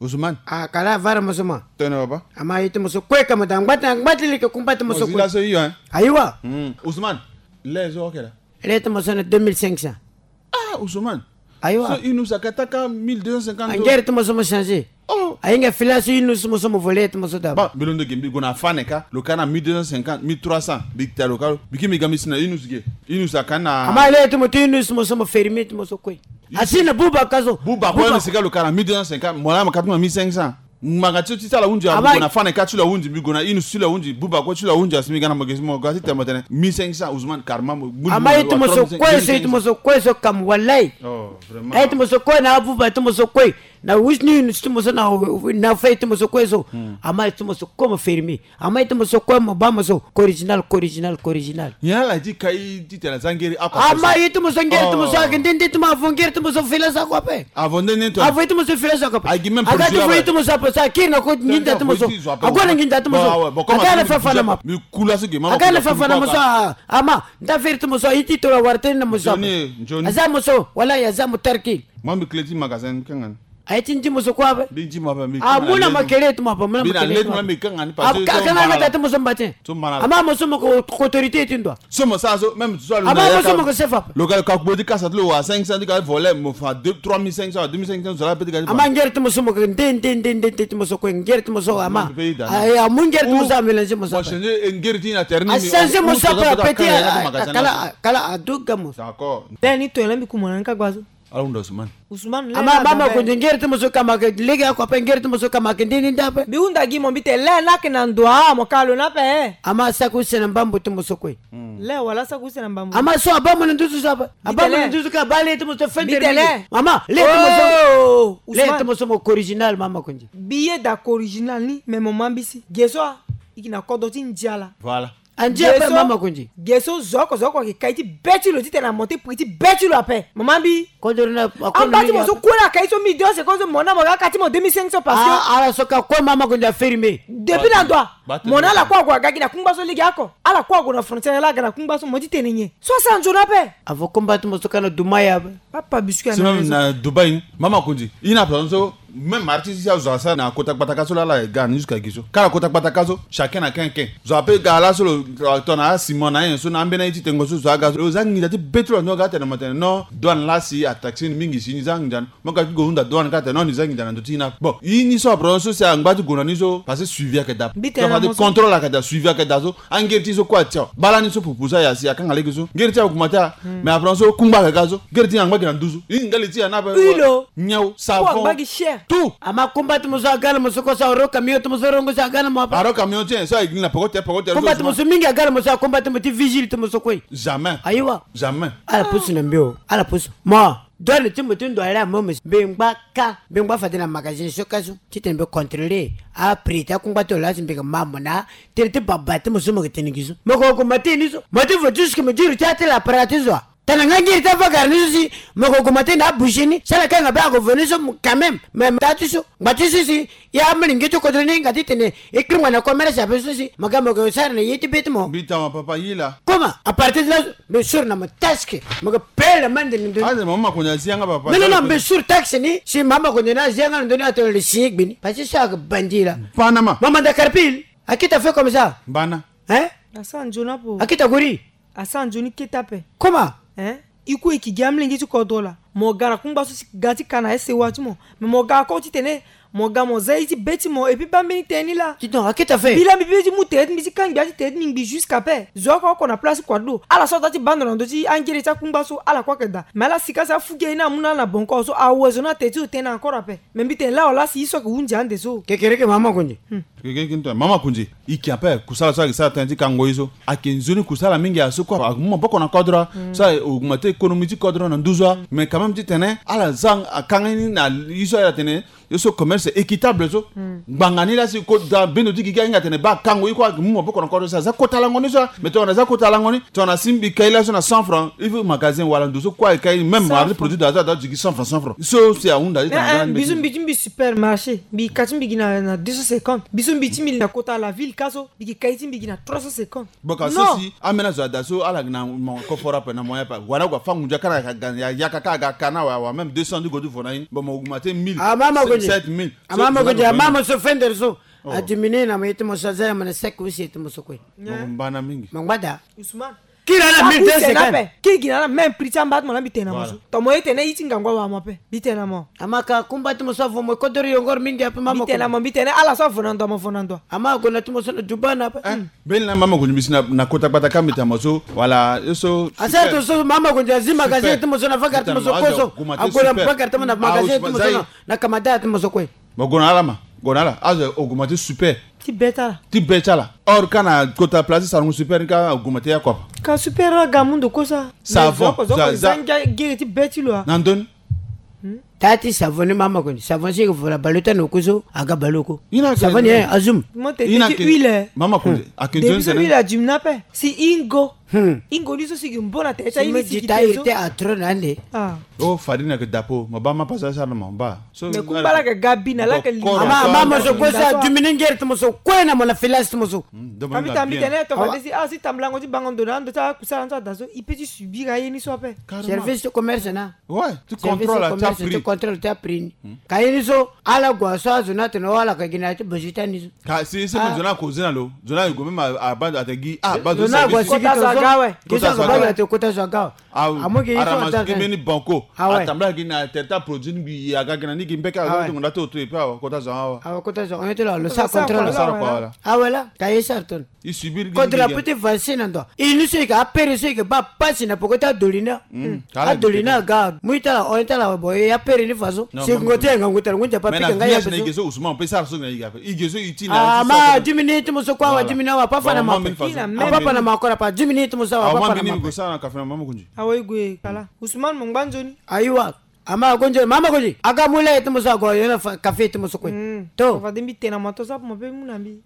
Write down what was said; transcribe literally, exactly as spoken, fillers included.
Ousmane. Ah, kala vara mo so ma. Tene papa. Ama ye ti mo so kue ka mo da ngba ti, ngba ti leke kumba ti mo so kue. Mo zi laso hio, hein. Ayiwa. Hmm. Ousmane. Lê zo ake la. Lê ti mo so na deux mille cinq cents. Ah, Ousmane. Ayiwa. So inu sa ka taka mille deux cent cinquante. Angere ti mo so mo changer. Oh. Ahinga fila so inu ti mo so mo volé ti mo so dabo. Ba, mbi londo ge mbi gue na fane ka, lo ka na mille deux cent cinquante, mille trois cents, mbi ta lo ka lo. Mbi ki mbi ga mbi si na inu si ge. Inu sa ka na. Ama lê ti mo ti inu ti mo so mo fermé ti mo so kue. Asi na buba ka so. Buba kue. Buba. Ni si ka lo ka na mille deux cent cinquante, mo la ma ka ti mo na mille cinq cents. Ngbanga ti so ti ti ala hunzi, ah, mbi gue na fane ka ti lo ahundi, mbi gue na inu ti lo ahundi, buba kue ti lo ahundi, asi mbi ga na mo ge si mo ga ti tene mo tene mille cinq cents, Ousmane, karma mo. Ama ye ti mo so kue so, ye ti mo so kue so kam walay. Oh, vraiment. Aye ti mo so kue na abuba ti mo so kue. Na wis ni inu ti mo so na, na fê ti mo so kue so. Hmm. Ama ye ti mo so kue mo fermé. Ama ye ti mo so kue mo ba mo so. Ko original, ko original, ko original. Nyen ala ti kai ti tene aza ngeri ako. Ama ye ti mo so ngeri ti mo so ake nde nde ti mo avo ngeri ti mo so fila so ako ape. Avo nde nde ti mo. Avo ye ti mo so fila so ako ape. Agi même. Aga ti vo ye ti mo so ape so akiri na ko nginza ti mo so. Ague na nginza ti mo so. Aga na fa fa na ma. Mi kula so ge mama. Aga na fa fa na mo so. Ama nda feri ti mo so aye ti toro awara tënë na mo so ape. Joni, Joni. Aza mo so wala aye aza mo tarkil. Moi mbi kele ti magasin mbi kanga ni. Aye ti ndi mo so kue ape. Mbi ndi mo ape mbi. Ah, kanga mu na ma kele ti mo ape, mu na ma kele ti mo ape. Mbi na le ti mo mbi kanga ni parce que kanga na ta ti mo so mba tien. Ama mo so mo ko autorité ti ndo. So mo sa so même so lo. Ama mo so mo ko chef ape. Lo ka ka kpo ti kasa ti lo wa cinq cents ti ka volé mo fa deux trois mille cinq cents, deux mille cinq cents zo la pe ti ka ti. Ama ngere ti mo so mo ko nde nde nde nde ti mo so ko ngere ti mo so ama. Aye amu ngere ti mo so a mélanger mo so. Mo changer ngere ti na terrain. A changer mo so ape pe ti. Kala kala a doga mo. D'accord. Tene ni toyena mbi ku mo na ni ka gba so. Ala hunda Ousmane. Ousmane le. Ama mama ko nde ngere ti mo so ka ma ke lege ako ape ngere ti mo so ka ma ke nde ni nda ape. Mbi hunda gi mo mbi te le na ke na ndo a mo ka lo na ape. Ama saki use na mbambo ti mo so kue. Le wala saki use na mbambo. Ama so aba mo na nduzu so ape. Aba mo na nduzu ka ba le ti mo so fende. Ama le ti mo so. Le ti mo so mo ko original mama ko nde. Billet da ko original ni mais mo ma mbi si ge so a. I gi na kodro ti ndia la. Voilà. Andi ape mama ko nde. Ge so zo oko zo oko ayeke kai ti be ti lo titene amonte prix ti be ti lo ape mama mbi. Kodro na amba ti mo so kue la kai so mille deux cents ko so mo na mo ga ka ti mo deux mille cinq cents parce que ala so ka kue mama ko nde aferi me. Depuis na ndo a mo na ala kue ague aga gi na kungba so lege oko ala kue ague na frontière la aga na kungba so mo ti tene nyen so asa nzoni ape. Avo kungba ti mo so ka na dumaya ape. Papa biscuit. Même na Dubaï ni mama ko nde i na place so. Même artiste si azo asara na kota kpataka so lala e ga ni jusqu'à gi so kala kota kpataka so chacun na ken ken zo ape ga laso lo. Tongana asima na nyen so na ambeni aye ti tengo so zo aga so lo za nginza ti be ti lo ando aga tene mo tene non douane lasi ataxi ni mingi si ni za nginza ni. Mo ka ti go hunda douane ka tene non ni za nginza na ndo ti ni ape bon i ni so apre so si angba ti go na ni so parce que suivi ayeke daa. Mbi tene na mo so. Contrôle ayeke daa suivi ayeke daa so. Angeri ti so kue atia bala ni so pupu so aya si akanga lege so ngeri ti aguma ti a. Mais apre so kungba ayeke ga so ngeri ti angba gi na nduzu i ngali ti ya na ape. Huile. Nyau savon. Kungba gi cher. Tout. Ama kumba ti mo so aga na mo so kue so aro camion ti mo so rongo so aga na mo ape. Aro camion ti en so aye gi na poko te poko te. Kumba ti mo so mingi aga na mo so akumba ti mo ti vigile ti mo so kue. Jamais. Ayiwa. Jamais. Ala pusu na mbi o ala pusu mo. Douane ti mo ti ndo ala mo mo si mbi ngba ka mbi ngba fade na magasin so ka so titene mbi contrôler aprix ti akungba ti lo laa si mbi yeke ma mo na tere ti baba ti mo so mo yeke tene gi so mo yeke gue ma ti ni so mo ti vo jusque mo diri ti ate la para ti zo a. Tana nga ngiri ti avagara ni so si mo yeke gue ma ti na abouche ni si ala kanga be ako vo ni so quand même mais ta ti so ngba ti so si. Ya amolenge ti kodro ni hinga titene e kiri ngba na commerce ape so si mo ga mo yeke sara na ye ti be ti mo. Mbi tama papa ye laa. Comment à partir de là. Mbi sori na mo taske mo yeke pele mande ni ndoni. Ande mama konde azi yanga papa. Non non non mbi sori taxe ni si mama konde ni azi yanga na ndoni atene le signe gbe ni parce que so ayeke bandi la. Banama. Mama nda karpil. Akita fait comme ça. Mbana. Hein. Asa nzoni apo. Akita gori. Asa nzoni kete ape. Comment. Hein. I kue e ki gi amolenge ti kodro laa mo ga na kungba so si ga ti ka na ese wa ti mo. Mais mo ga koko titene mo ga mo za ye ti be ti mo et puis baa mbeni tënë ni laa. Ti donc akete afe. Mbi laa mbi be ti mu tere ti mbi ti kangbi ya ti tere ti mbi ngbi jusqu'à paix zo oko oko na place ti kua ti lo ala so aza ti baa ndo na ndö ti angere ti akungba so ala kue ayeke daa mais ala sika si afu gi aye ni amu na ala na bonko so awe zo ni atere ti lo tënë encore ape. Mais mbi tene laa wala si ye so ayeke hunzi ande so. Kekereke mama konde. Keke kini tene mama konde. I ke ape kusala so ayeke sara tënë ti kango ye so ayeke nzoni kusala mingi aso kue amu maboko na kodro. So augmente économie ti kodro na nduzu. Mais quand même titene ala za akanga ni na ye so ala tene ye so commerce équitable so. Ngbanga ni laa si kota bendo ti gigi ahinga tene baa kango ye kue ayeke mu maboko na kodro so aza kota lango ni so. Mais tongana aza kota lango ni tongana si mbi kai laso na cent francs il faut magasin wala ndo so kue aye kai même wala ti produit da aza da ti gi cent francs cent francs so si ahunda ti tene. Mbi so mbi ti mbi supermarché mbi ka ti mbi gi na deux cent cinquante mbi so mbi ti mbi na kota la ville ka so. Mbi gi kai ti mbi gi na trois cent cinquante. Boka so si amena zo ada so ala gi na mo koforo ape na moyen ape wala ague afa ngunza kara ya yaka kara ga kana wa wa même deux cents ti go ti vo na ye ni bon mo augmente mille. Ah mama go Sept mille. Ama mo ko dia mama so fender so. A diminuer na mo ye ti mo so, aza ya mo na sec aussi ye ti mo so kue. Mo ko mbana mingi. Mo ngbada. Ousmane. Kiri na la mille deux cent cinquante. Kiri gi na la même prix ti amba ti mo na mbi tene na mo so. Ton mo ye tene ye ti ngangu awa mo ape. Mbi tene na mo. Ama ka kumba ti mo so avo mo kodoro yongoro mingi ape mama. Mbi tene na mo, mbi tene ala so avo na ndo, mo avo na ndo. Ama ago na ti mo so na Dubai na ape. Mbeni na mama Gonde mbi si na kota gbata ka mbi tene na mo so. Wala ye so. Asa to so mama Gonde azi magasin ti mo so na vagara ti mo so kozo. Ago na vagara ti mo na magasin ti mo so na kamada ti mo so kue. Mo gue na ala ma, gue na ala azo augmenté super. Ti be ti ala. Ti be ti ala. Or ka na kota place ti salon super ni ka augmenté ya kua. Ka super aga mu ndo kosa. Savon. Gere ti be ti lo a. Na ndoni. Taa ti savon ni mama Gonde, savon si yeke vo na baleota na oko so aga baleoko. Savon ni eh azum. Mo tene ti huile. Mama Gonde ake nzoni tene huile adimina ape. Si ingo. Ingo ni so si gi mbo na tere ti aye ni si gi te so. Atro na ande. O fadi na yeke dapo ma ba ma pasa sara na ma ba. Mais kumba la yeke ga bi na la yeke li. Ama ama mo so kue so adimini ngere ti mo so kue na mo na filage ti mo so. Tambi tambi tene tongana si ah si tambulango ti bango ndo na ando ti akusala ni so ada so i pe ti subir aye ni so ape. Service ti commerce na. Ouais, ti contrôle ti aprix. Ti contrôle ti aprix ni. Ka ye ni so ala gue so azo ni atene o ala ka gi na ya ti besoin ti ani so. Ka si si mo zo ni ako zi na lo zo ni aye gue même abando ate gi ah bando zo ni ague si gi to zo. Kota zo aga awe. Amu gi ara so ma zo gi mbeni banco. Atambula gi na tere ti aproduit ni mbi aga gi na ni gi mbeke azo ti ngonda ti oto epe awa kota zo awa. Awa kota zo on ye ti lo lo sa contrôle. Awe la ka ye sara tone. I subir gi kodra pete vase na ndo. I ni so i ga apere so i ga ba pasi na poko ti adolina. Adolina aga mu i tala on tala bo i apere ni faso. Si ngo ti nga ngo tala ngo japa pika nga ya peso. Ige so Ousmane pe sara so na i ga pe ige so i ti na ama dimi ni ti mo so kwa wa dimi na wa pa fa na ma pe. Apa pa na ma kora pa dimi ni ti mo so wa pa pa na ma pe. Awa i gue kala Ousmane mo ngba nzoni. Ayiwa. Ama agonzo mama gozi aga mu le ti mo so ago yo na kafe ti mo so kue. To fade mbi tena ma to so apo mo pe mu na mbi.